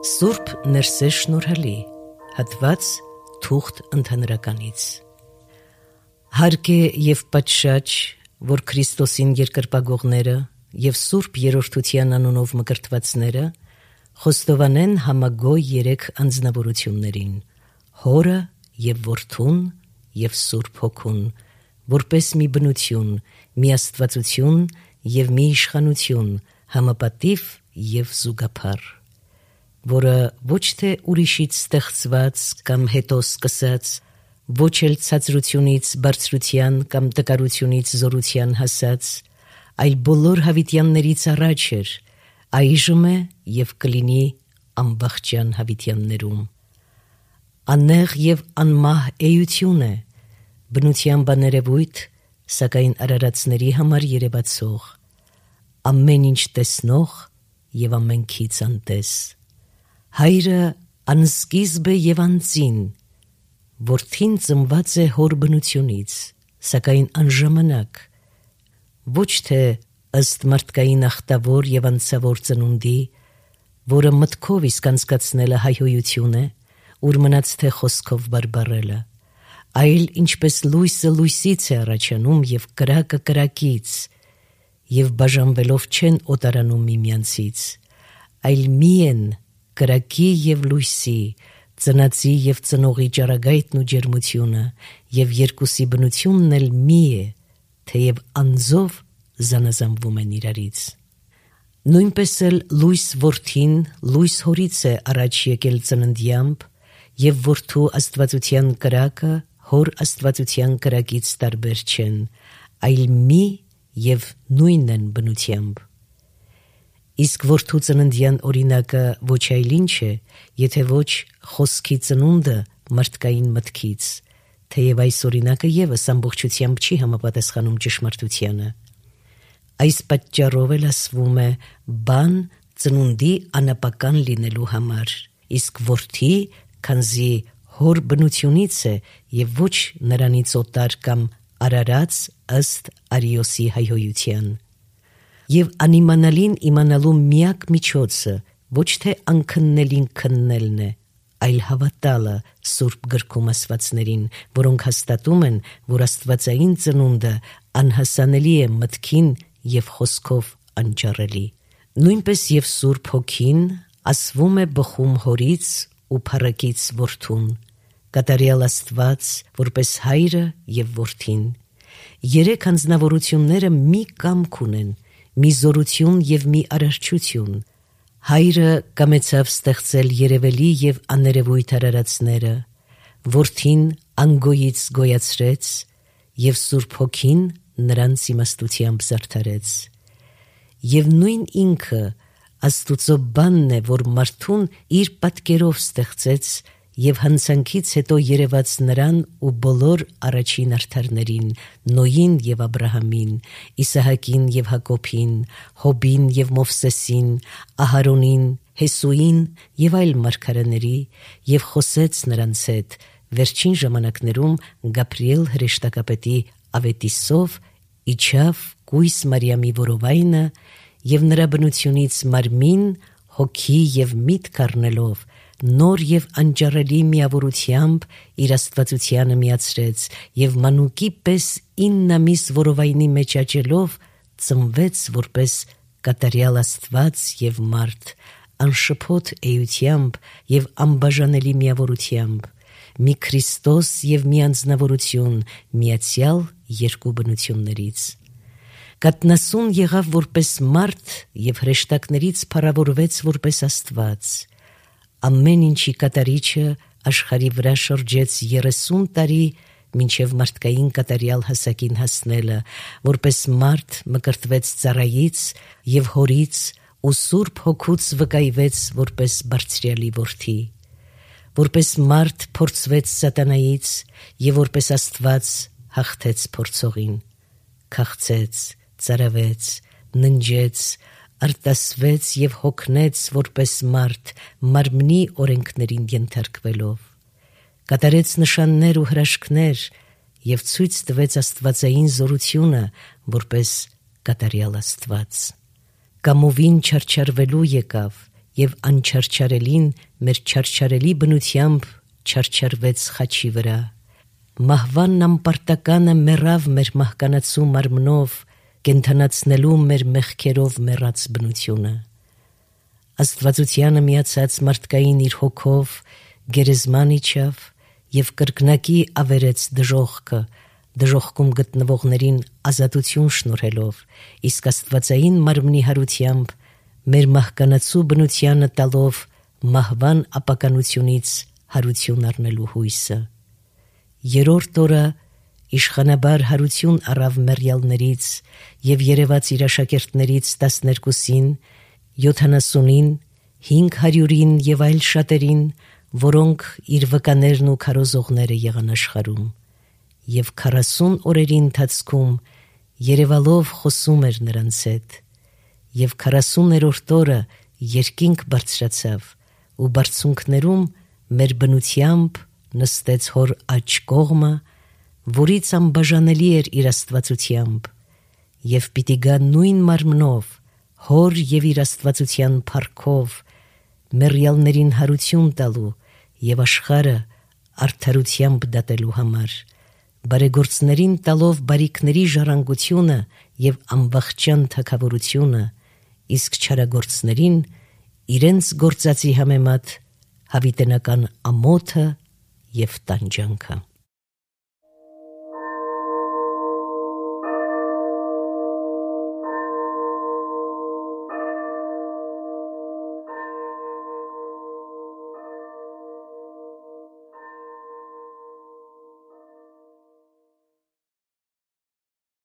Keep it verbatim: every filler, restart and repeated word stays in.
Սուրբ Ներսես շնորհալի, հատված թուղթ ընդհանրականից։ Հարկ է և պատշաճ, որ Քրիստոսին երկրպագողները և Սուրբ Երրորդության անունով մկրտվածները խոստովանեն համագոյ երեք անձնավորություններին՝ Հորը և Որդուն և Սուրբ Հոգուն, որպես մի բնություն, մի աստվածություն և մի իշխանություն, համապատիվ և զուգափառ, որը ոչ թե ուրիշից ստեղծված կամ հետո սկսած, ոչ էլ ցածրությունից բարձրության կամ տկարությունից զորության հասած, այլ բոլոր հավիտյաններից առաջ էր, այժմ է և կլինի անվախճան հավիտյաններում։ Աննեղ և անմահ էություն է, բնությամբ աներևույթ, սակայն արարածների համար երևացող, ամեն ինչ տեսնող և ամենքից անտես։ Հայրը անսկիզբ է և անծին, Որդին ծնված է հոր բնությունից, սակայն անժամանակ, ոչ թե ըստ մարդկային ախտավոր և անցավոր ծնունդի, որը մտքով իսկ անցկացնելը հայհոյություն է, ուր մնաց թե խոսքով բարբառելը, այլ ինչպես լույսը լույսից է առաջանում և կրակը կրակից, և բաժանվելով չեն օտարանում միմյանցից, այլ մի են կրակի և լույսի, ծնածի և ծնողի ճառագայթն ու ջերմությունը, և երկուսի բնությունն էլ մի է, թեև անձով զանազանվում են իրարից։ Նույնպես էլ լույս Որդին լույս հորից է առաջ եկել ծննդյամբ, և Որդու աստվածության կրակը հոր աստվածության կրակից տարբեր չեն, այլ մի և նույնն են բնությամբ։ Իսկ Որդու ծննդյան օրինակը ոչ այլ ինչ է, եթե ոչ խոսքի ծնունդը մարդկային մտքից, թեև այս օրինակը ևս ամբողջությամբ չի համապատասխանում ճշմարտությանը։ Այս պատճառով էլ ասվում է բան ծնունդի անապական լինելու համար, իսկ Որդի, քանզի հոր բնությունից է և ոչ նրանից օտար կամ արարած ըստ Արիոսի հայհոյության։ Եվ անիմանալին իմանալու միակ միջոցը ոչ թե անքննելին քննելն է, այլ հավատալը Սուրբ գրքում ասվածներին, որոնք հաստատում են, որ աստվածային ծնունդը անհասանելի է մտքին և խոսքով անճառելի։ Նույնպես և Սուրբ Հոգին ասվում է բխում հորից ու փառքից Որդուն, կատարյալ Աստված, որպես Հայրը և Որդին։ Երեք անձնավորությունները մի կամք ունեն, մի զորություն և մի արարչություն։ Հայրը կամեցավ ստեղծել երևելի և աներևույթ արարածները, Որդին անգոյից գոյացրեց, և Սուրբ Հոգին նրանց իմաստությամբ զարդարեց։ Եվ նույն ինքը Աստուծո բանն է, որ մարդուն իր պատկերով ստեղծեց և հանցանքից հետո երևաց նրան ու բոլոր առաջին արդարներին՝ Նոյին և Աբրահամին, Իսահակին և Հակոբին, Հոբին և Մովսեսին, Ահարոնին, Հեսուին և այլ մարգարեների, և խոսեց նրանց հետ, վերջին ժամանակներում Գաբրիել հրեշտակապետի ավետիսով իջավ կույս Մարիամի որովայնը և նրա բնությունից մարմին, հոգի և միտք առնելով, նոր և անճառելի միավորությամբ իր աստվածությանը միացրեց և մանուկի պես ինն ամիս որովայնի մեջ աճելով, ծնվեց որպես կատարյալ Աստված և մարդ, անշփոթ էությամբ և անբաժանելի միավորությամբ, մի Քրիստոս և մի անձնավորություն միացյալ երկու բնություններից։ Կաթնասուն եղավ որպես մարդ և հրեշտակներից փառավորվեց որպես Աստված։ Ամեն ինչի կատարիչը աշխարհի վրա շրջեց երեսուն տարի, մինչև մարդկային կատարյալ հասակին հասնելը, որպես մարդ մկրտվեց ծառայից և հորից ու Սուրբ Հոգուց վկայվեց որպես Բարձրյալի Որդի, որպես մարդ փորձվեց սատանայից և որպես Աստված հաղթեց փորձողին, քաղցեց, ծարավեց, ննջեց, արտասվեց և հոգնեց որպես մարդ, մարմնի օրենքներին ենթարկվելով, կատարեց նշաններ ու հրաշքներ և ցույց տվեց աստվածային զորությունը որպես կատարյալ Աստված։ Կամովին չարչարվելու եկավ եւ անչարչարելին մեր չարչարելի բնությամբ չարչարվեց խաչի վրա։ Մահվանն ամպարտականը մեռավ մեր մահկանացու մարմնով, կենթանացնելու մեր մեղքերով մեռած բնությունը։ Աստվածությանը միացած մարդկային իր հոգով գերեզման իջավ եւ կրկնակի ավերեց դժոխքը, դժոխքում գտնվողներին ազատություն շնորհելով, իսկ աստվածային մարմնի հարությամբ մեր մահկանացու բնությանը տալով մահվան ապականությունից հարություն առնելու հույսը։ Երրորդ օրը իշխանաբար հարություն առավ մեռյալներից եւ երևաց իր աշակերտներից տասներկուսին, յոթանասունին, հինգ հարյուրին եւ այլ շատերին, որոնք իր վկաներն ու քարոզողները եղան աշխարհում, եւ քառասուն օրերի ընթացքում երևալով խոսում էր նրանց հետ, եւ քառասուներորդ օրը երկինք բարձրացավ ու բարձունքներում մեր բնությամբ նստեց հոր աջ կողմը, որից անբաժանելի էր իր աստվածությամբ, եւ պիտի գա նույն մարմնով, հոր եւ իր աստվածության փառքով, մեռյալներին հարություն տալու եւ աշխարհը արդարությամբ դատելու համար, բարեգործներին տալով բարիքների ժառանգությունը եւ անվախճան թագավորությունը, իսկ չարագործներին իրենց գործածի համեմատ հավիտենական ամոթը եւ տանջանքը։